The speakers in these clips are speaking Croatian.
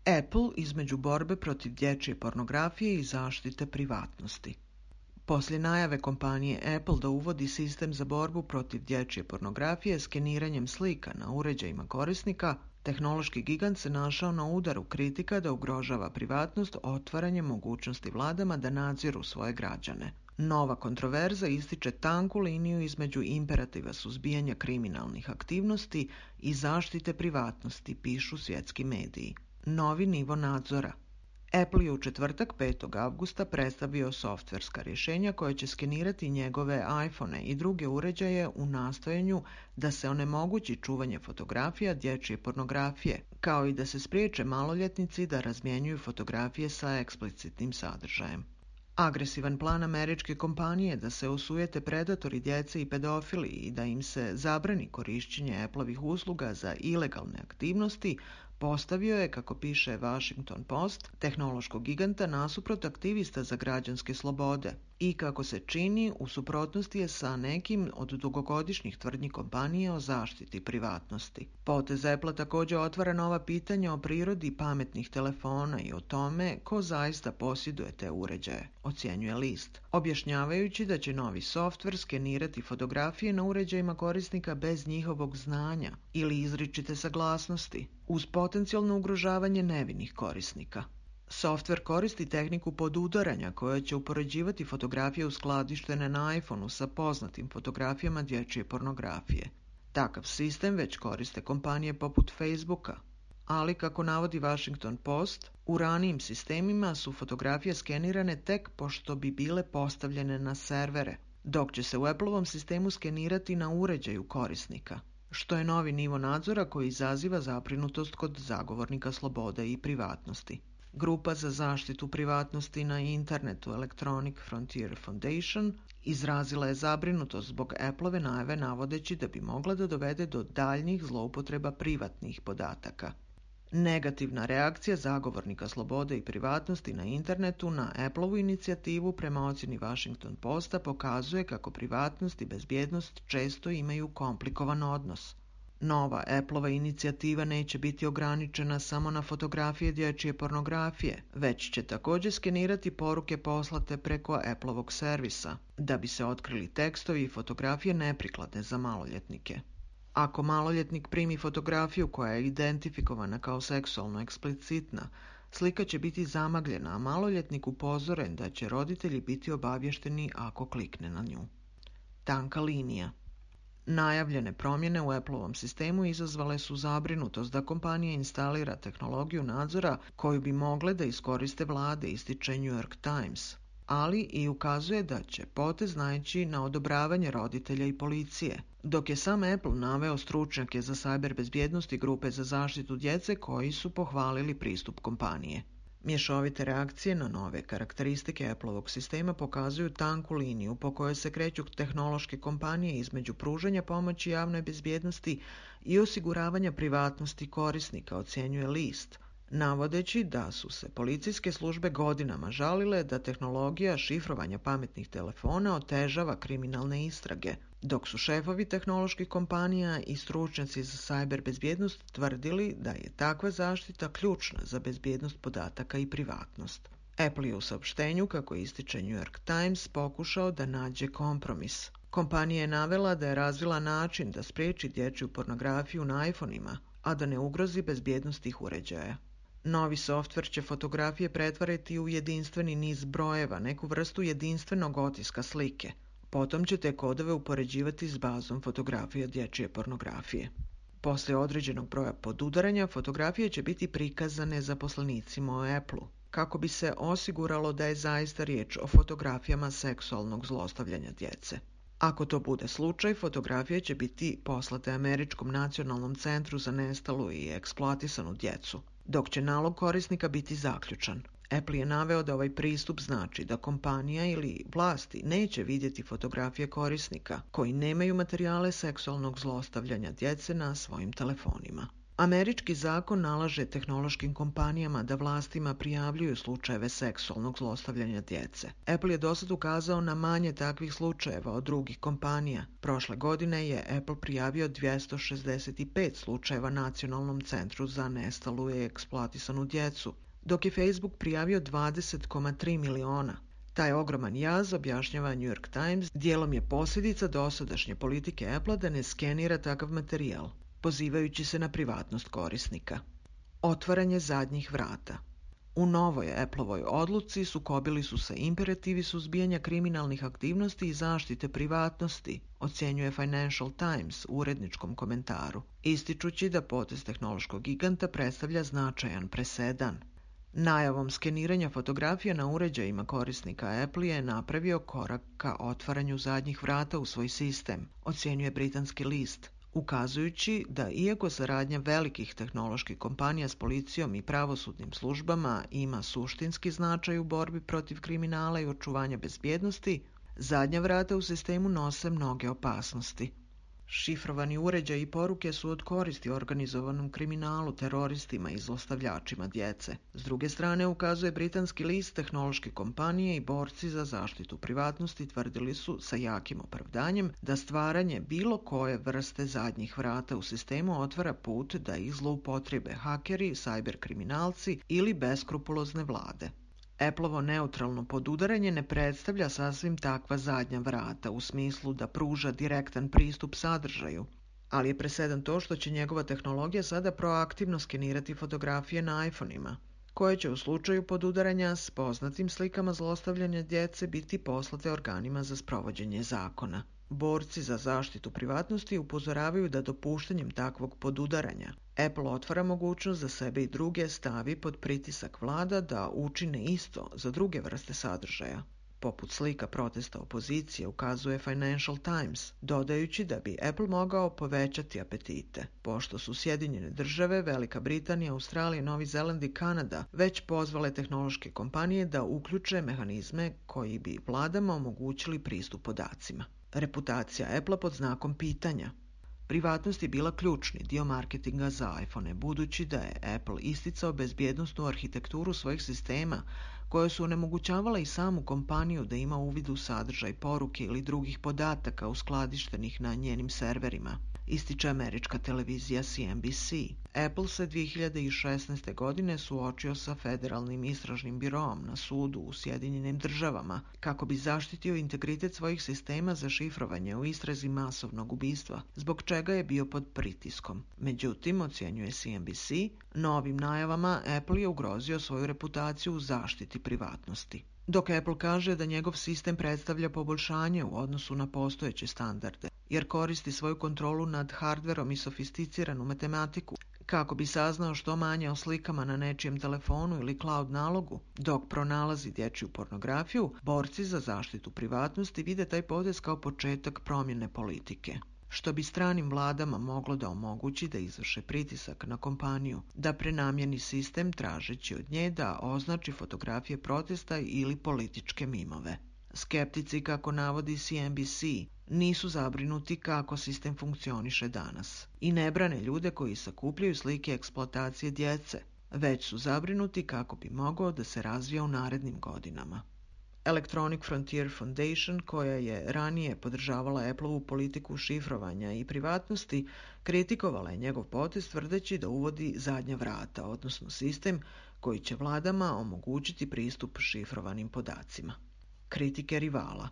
Apple između borbe protiv dječje pornografije i zaštite privatnosti. Poslije najave kompanije Apple da uvodi sistem za borbu protiv dječje pornografije skeniranjem slika na uređajima korisnika, tehnološki gigant se našao na udaru kritika da ugrožava privatnost otvaranjem mogućnosti vladama da nadziru svoje građane. Nova kontroverza ističe tanku liniju između imperativa suzbijanja kriminalnih aktivnosti i zaštite privatnosti, pišu svjetski mediji. Novi nivo nadzora. Apple je u četvrtak 5. avgusta predstavio softverska rješenja koje će skenirati njegove iPhone i druge uređaje u nastojanju da se onemogući čuvanje fotografija dječje pornografije, kao i da se spriječe maloljetnici da razmjenjuju fotografije sa eksplicitnim sadržajem. Agresivan plan američke kompanije da se osujete predatori djece i pedofili i da im se zabrani korišćenje Appleovih usluga za ilegalne aktivnosti postavio je, kako piše Washington Post, tehnološkog giganta nasuprot aktivista za građanske slobode i, kako se čini, u suprotnosti je sa nekim od dugogodišnjih tvrdnji kompanije o zaštiti privatnosti. Potez Apple također otvara nova pitanja o prirodi pametnih telefona i o tome ko zaista posjeduje te uređaje, ocjenjuje list, objašnjavajući da će novi softver skenirati fotografije na uređajima korisnika bez njihovog znanja ili izričite saglasnosti, uz potencijalno ugrožavanje nevinih korisnika. Softver koristi tehniku podudaranja koja će upoređivati fotografije uskladištene na iPhoneu sa poznatim fotografijama dječje pornografije. Takav sistem već koriste kompanije poput Facebooka, ali, kako navodi Washington Post, u ranijim sistemima su fotografije skenirane tek pošto bi bile postavljene na servere, dok će se u Appleovom sistemu skenirati na uređaju korisnika, što je novi nivo nadzora koji izaziva zabrinutost kod zagovornika slobode i privatnosti. Grupa za zaštitu privatnosti na internetu Electronic Frontier Foundation izrazila je zabrinutost zbog Appleove najave navodeći da bi mogla da dovede do daljnjih zloupotreba privatnih podataka. Negativna reakcija zagovornika slobode i privatnosti na internetu na Appleovu inicijativu prema ocjeni Washington Posta pokazuje kako privatnost i bezbjednost često imaju komplikovan odnos. Nova Appleova inicijativa neće biti ograničena samo na fotografije dječje pornografije, već će također skenirati poruke poslate preko Appleovog servisa, da bi se otkrili tekstovi i fotografije neprikladne za maloljetnike. Ako maloljetnik primi fotografiju koja je identifikovana kao seksualno eksplicitna, slika će biti zamagljena, a maloljetnik upozoren da će roditelji biti obavješteni ako klikne na nju. Tanka linija. Najavljene promjene u Appleovom sistemu izazvale su zabrinutost da kompanija instalira tehnologiju nadzora koju bi mogle da iskoriste vlade, ističe New York Times, ali i ukazuje da će potez naići na odobravanje roditelja i policije, dok je sam Apple naveo stručnjake za sajber bezbjednost i grupe za zaštitu djece koji su pohvalili pristup kompanije. Mješovite reakcije na nove karakteristike Appleovog sistema pokazuju tanku liniju po kojoj se kreću tehnološke kompanije između pružanja pomoći javnoj bezbjednosti i osiguravanja privatnosti korisnika, ocjenjuje list, navodeći da su se policijske službe godinama žalile da tehnologija šifrovanja pametnih telefona otežava kriminalne istrage, dok su šefovi tehnoloških kompanija i stručnjaci za sajber bezbjednost tvrdili da je takva zaštita ključna za bezbjednost podataka i privatnost. Apple je u saopštenju, kako ističe New York Times, pokušao da nađe kompromis. Kompanija je navela da je razvila način da spriječi dječju pornografiju na iPhone-ima, a da ne ugrozi bezbjednost tih uređaja. Novi softver će fotografije pretvarati u jedinstveni niz brojeva, neku vrstu jedinstvenog otiska slike. Potom će te kodove upoređivati s bazom fotografija dječje pornografije. Poslije određenog broja podudaranja, fotografije će biti prikazane zaposlenicima u Apple-u, kako bi se osiguralo da je zaista riječ o fotografijama seksualnog zlostavljanja djece. Ako to bude slučaj, fotografije će biti poslate Američkom nacionalnom centru za nestalu i eksploatisanu djecu, dok će nalog korisnika biti zaključan. Apple je naveo da ovaj pristup znači da kompanija ili vlasti neće vidjeti fotografije korisnika koji nemaju materijale seksualnog zlostavljanja djece na svojim telefonima. Američki zakon nalaže tehnološkim kompanijama da vlastima prijavljuju slučajeve seksualnog zlostavljanja djece. Apple je dosad ukazao na manje takvih slučajeva od drugih kompanija. Prošle godine je Apple prijavio 265 slučajeva Nacionalnom centru za nestalu i eksploatisanu djecu, dok je Facebook prijavio 20,3 miliona. Taj ogroman jaz, objašnjava New York Times, dijelom je posljedica dosadašnje politike Apple da ne skenira takav materijal, pozivajući se na privatnost korisnika. Otvaranje zadnjih vrata. U novoj Appleovoj odluci sukobili su se imperativi suzbijanja kriminalnih aktivnosti i zaštite privatnosti, ocjenjuje Financial Times u uredničkom komentaru, ističući da potez tehnološkog giganta predstavlja značajan presedan. Najavom skeniranja fotografija na uređajima korisnika Apple je napravio korak ka otvaranju zadnjih vrata u svoj sistem, ocjenjuje britanski list, ukazujući da iako saradnja velikih tehnoloških kompanija s policijom i pravosudnim službama ima suštinski značaj u borbi protiv kriminala i očuvanja bezbjednosti, zadnja vrata u sistemu nose mnoge opasnosti. Šifrovani uređaji i poruke su od koristi organizovanom kriminalu, teroristima i zlostavljačima djece. S druge strane, ukazuje britanski list, tehnološke kompanije i borci za zaštitu privatnosti tvrdili su sa jakim opravdanjem da stvaranje bilo koje vrste zadnjih vrata u sistemu otvara put da ih zloupotrebe hakeri, sajber kriminalci ili beskrupulozne vlade. Appleovo neutralno podudaranje ne predstavlja sasvim takva zadnja vrata u smislu da pruža direktan pristup sadržaju, ali je presedan to što će njegova tehnologija sada proaktivno skenirati fotografije na iPhone-ima, koje će u slučaju podudaranja s poznatim slikama zlostavljanja djece biti poslate organima za sprovođenje zakona. Borci za zaštitu privatnosti upozoravaju da dopuštanjem takvog podudaranja Apple otvara mogućnost da sebe i druge stavi pod pritisak vlada da učine isto za druge vrste sadržaja, poput slika protesta opozicije, ukazuje Financial Times, dodajući da bi Apple mogao povećati apetite, pošto su Sjedinjene Države, Velika Britanija, Australija, Novi Zeland i Kanada već pozvale tehnološke kompanije da uključe mehanizme koji bi vladama omogućili pristup podacima. Reputacija Apple pod znakom pitanja. Privatnost je bila ključni dio marketinga za iPhone, budući da je Apple isticao bezbjednosnu arhitekturu svojih sistema, koje su onemogućavala i samu kompaniju da ima uvid u sadržaj poruke ili drugih podataka uskladištenih na njenim serverima, ističe američka televizija CNBC. Apple se 2016. godine suočio sa federalnim istražnim biroom na sudu u Sjedinjenim Državama kako bi zaštitio integritet svojih sistema za šifrovanje u istrazi masovnog ubistva, zbog čega je bio pod pritiskom. Međutim, ocjenjuje CNBC, novim najavama Apple je ugrozio svoju reputaciju u zaštiti privatnosti. Dok Apple kaže da njegov sistem predstavlja poboljšanje u odnosu na postojeće standarde, jer koristi svoju kontrolu nad hardverom i sofisticiranu matematiku kako bi saznao što manje o slikama na nečijem telefonu ili cloud nalogu, dok pronalazi dječju pornografiju, borci za zaštitu privatnosti vide taj potez kao početak promjene politike, što bi stranim vladama moglo da omogući da izvrše pritisak na kompaniju, da prenamjeni sistem tražeći od nje da označi fotografije protesta ili političke mimove. Skeptici, kako navodi CNBC, nisu zabrinuti kako sistem funkcioniše danas i ne brane ljude koji sakupljaju slike eksploatacije djece, već su zabrinuti kako bi mogao da se razvija u narednim godinama. Electronic Frontier Foundation, koja je ranije podržavala Appleovu politiku šifrovanja i privatnosti, kritikovala je njegov potez tvrdeći da uvodi zadnja vrata, odnosno sistem koji će vladama omogućiti pristup šifrovanim podacima. Kritike rivala.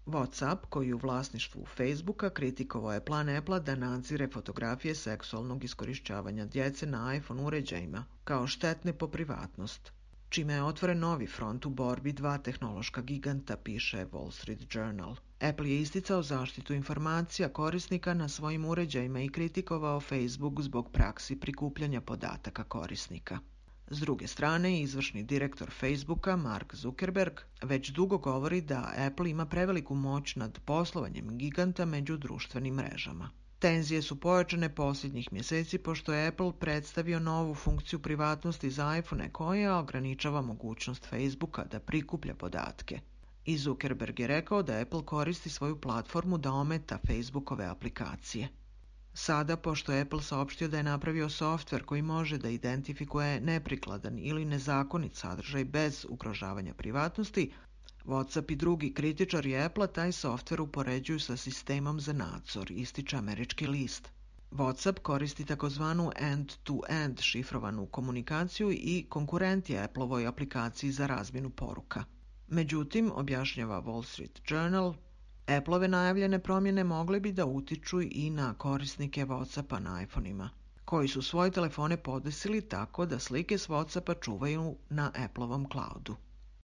WhatsApp, koji je u vlasništvu Facebooka, kritikovao je plan Apple da nadzire fotografije seksualnog iskorišćavanja djece na iPhone uređajima kao štetne po privatnost, čime je otvoren novi front u borbi dva tehnološka giganta, piše Wall Street Journal. Apple je isticao zaštitu informacija korisnika na svojim uređajima i kritikovao Facebook zbog praksi prikupljanja podataka korisnika. S druge strane, izvršni direktor Facebooka, Mark Zuckerberg, već dugo govori da Apple ima preveliku moć nad poslovanjem giganta među društvenim mrežama. Tenzije su pojačane posljednjih mjeseci pošto je Apple predstavio novu funkciju privatnosti za iPhone koja ograničava mogućnost Facebooka da prikuplja podatke. I Zuckerberg je rekao da Apple koristi svoju platformu da ometa Facebookove aplikacije. Sada, pošto je Apple saopštio da je napravio softver koji može da identifikuje neprikladan ili nezakonit sadržaj bez ugrožavanja privatnosti, WhatsApp i drugi kritičari Apple-a taj softver upoređuju sa sistemom za nadzor, ističe američki list. WhatsApp koristi takozvanu end-to-end šifrovanu komunikaciju i konkurent je Apple-ovoj aplikaciji za razmjenu poruka. Međutim, objašnjava Wall Street Journal, Apple-ove najavljene promjene mogle bi da utiču i na korisnike WhatsAppa na iPhone-ima, koji su svoje telefone podesili tako da slike s WhatsAppa čuvaju na Apple-ovom cloudu.